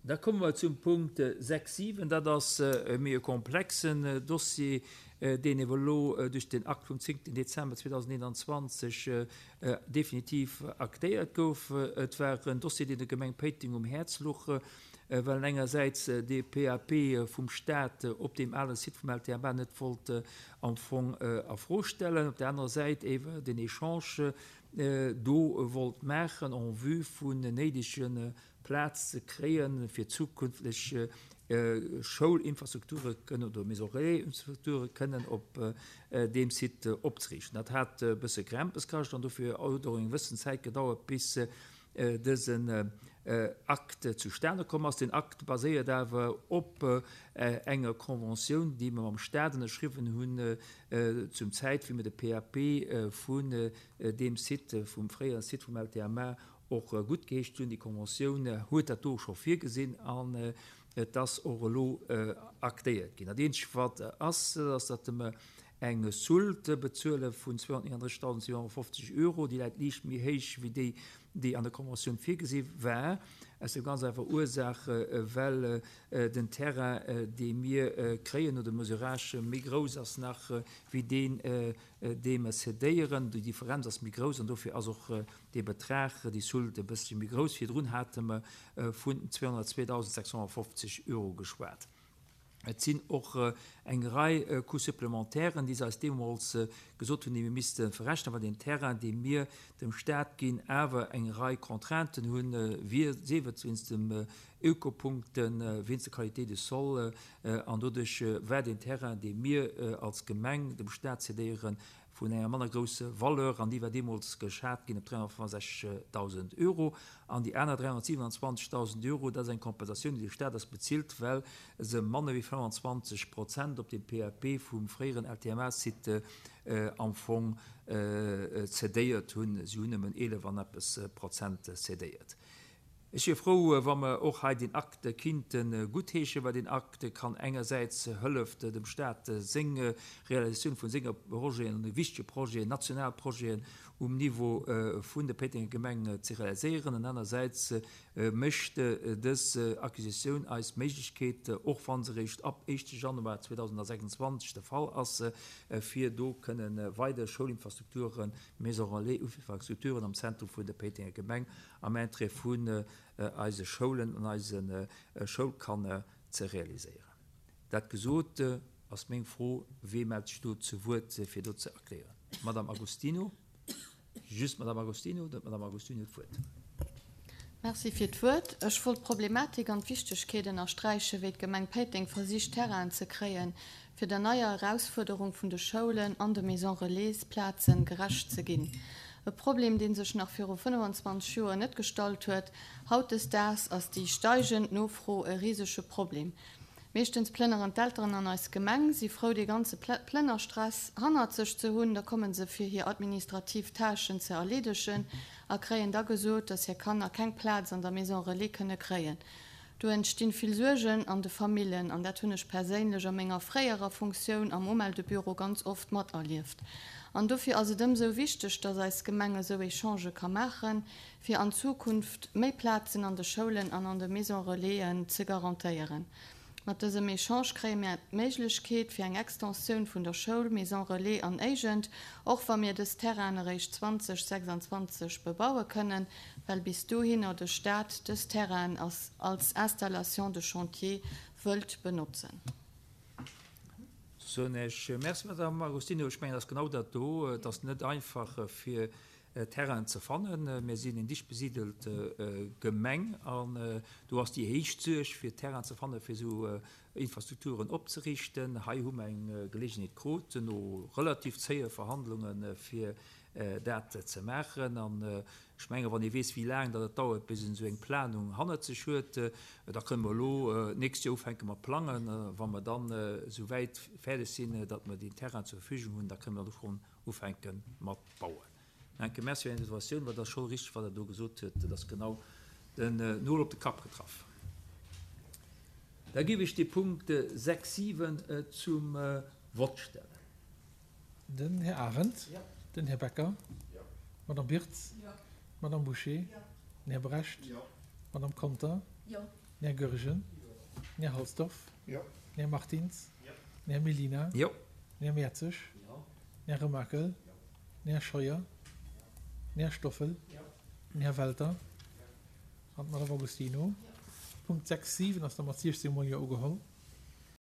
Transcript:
Da komme mer zum Punkt 6, 7. Dat ass e méi e komplexen Dossier, deen ewer elo duerch den Akt vum 10. Dezember 2021 definitiv aktéiert gouf. Et war en Dossier, deen der Gemeng Péiteng um Häerz luch, well en engersäits dee PAP vum Stat op deem ale Site vum LTMA net wollt am Fong a Fro stellen, op der anerer Säit ewer den Echange do wollt maachen en vue vun néidege Plaz ze kréien, fir zukünfteg Schoulinfrastrukture kënnen oder Maison relais-Infrastrukture kënnen op deem Site opzeriichten. Dat hat e bësse Krämpes kascht an dofir huet och eng gewëssen Zäit gedauert, bis dësen Akt zustane komm ass. Den Akt baséiert awer op enger Conventioun, déi mer mam Stat ënnerschriwwen hunn zum Zäit, wéi mer de PAP vun deem Site, vum fréiere Site vum LTMA och guttgeheescht hunn. Déi Conventioun huet dat do scho virgesinn an et ass och elo aktéiert ginn. Dat eenzegt wat ass, dat ass, datt mer eng Soulte bezuele vun 239.750 Euro. Déi läit liicht méi héich wéi déi, déi an der Conventioun virgesi war, aus der ganz einfacher Ursaach, well den Terrain, dee mir kréien no dem Mesurage, méi grouss ass nach wéi deen, dee mer cédéieren. Déi Differenz ass méi grouss an dofir ass och Dee Betrag, déi Soulte, e bëssche méi grouss. Virdrun hate mer vun 202.650 Euro geschwat. Et sinn och eng Rei Coûts-supplémentairen, déi se eis deemools gesot hunn, déi mir misste verrechnen, well deen Terrain, dee mir dem Stat ginn, awer eng Rei Contrainten hunn, sief et wéinst dem Ökopunkten, wéinst der Qualité du sol. An doduerch war deen Terrain, dee mir als Gemeng dem Stat cédéieren, vun enger manner grousse Valeur, an déi war deemools geschat ginn op 365.000 Euro. An déi aner 327.000 Euro, dat ass eng Kompensatioun, déi de Staat eis bezilt, well se manner wéi 25 Prozent op dem PAP vum fréieren LTMA-Site am Fong cedéiert hunn. Si hunn nëmmen 11 an eppes Prozent cedéiert. Ech wier frou, wa mer och hei deen Akt kinnte guttheeschen, well deen Akt kann engersäits hëlleft dem Stat seng Realisatioun vu senger Projeten, wichtege Projeten, national Projeten um Niveau vun der Péitenger Gemeng ze realiséieren, an anersäits mécht dës Acquisitioun eis d'Méiglechkeet, och wa se eréischt ab éischte Januar 2026 de Fall ass, fir do kënnen weider Schoulinfrastrukturen, Maisons relais-Infrastrukturen am Zentrum vun der Péitenger Gemeng am Interêt vun eise Schoulen an eise Schoulkanner ze realiséieren. Dat gesot, ass meng Fro, Wee mellt sech do zu Wuert, fir do ze erklären? D'Madame Agostino, just d'Madame Agostino, dann d'Madame Agostino huet d'Wuert. Merci fir d'Wuert. Ech wollt d'Problematik an d'Wichtegkeet ënnersträichen, wéi d'Gemeng Péiteng versicht, Terrainen ze kréien, fir der neier Erausfuerderung vun de Schoulen an de Maisons Relais Plazen gerecht ze ginn. E Problem, dee sech nach viru 25 Joer net gestallt huet. Hautdesdaags ass déi steigend Nofro e risege Problem. Meeschtens plënneren d'Elteren an eis Gemeng, si frou dee ganze Plënnerstress hannert sech ze hunn, da komme se fir hir administrativ Tâchen ze erleedegen a kréien da gesot, dass hir Kanner keng Plaz an der Maison Relais kënne kréien. Do entstinn vill Suergen an de Famillen, an dat hunn ech perséinlech a menger fréierer Funktioun am Umeldebüro ganz oft materlieft. An dofir ass et ëmsou wichteg, dass eis Gemeng esou Echangë ka maachen, fir an Zukunft méi Plazen an de Schoulen an an de Maisons Relaisen ze garantéieren. Mat dësem Echange kréie mir d'Méiglechkeet fir eng Extensioun vun der Schoul, Maison Relais an Éigent, och wa mir dës Terrainen eréischt 2026 bebaue kënnen, well bis dohinner de Staat dës Terrainen als Installation de chantier wëllt benotzen. Soen ech Merci, Madame Agostino. Ech mengen, et ass genau dat do. Et ass net einfach, fir Terrainen ze fannen. Mir sinn eng dicht besidelt Gemeng an do ass déi héich Suerg, fir Terrainen ze fannen, fir esou Infrastrukturen opzeriichten. Hei hu mer eng Geleegenheet krut, no relativ zéie Verhandlungen, fir dat ze maachen. An ech mengen, wann ee weess, wéi laang datt et dauert, bis een esou eng Planung hannert sech huet, da kënne mer elo d'nächst Joer ufänke mat plangen. Wa mer dann esou wäit fäerdeg sinn, datt mer deen Terrain zur Verfügung hunn, da kënne mer do schonn ufänke mat bauen. Enke Merci fir Är Interventioun, well et ass scho richteg, wat Der do gesot huet, et ass genau den Nol op de Kapp getraff. Da géif ech de Punkt 6, 7 zum Vott stellen. Den Här Arendt. Den Här Becker. D'Madame Birtz. D'Madame Bouché. Den Här Brecht. D'Madame Conter. Den Här Goergen. Den Här Halsdorf. Den Här Martins. Den Här Mellina. Den Här Mertzig. Den Här Remakel. Den Här Scheuer. Den Här Stoffel. Den Här Welter an d'Madame Agostino. Punkt 6, 7 ass da mat 16 mol Jo ugeholl.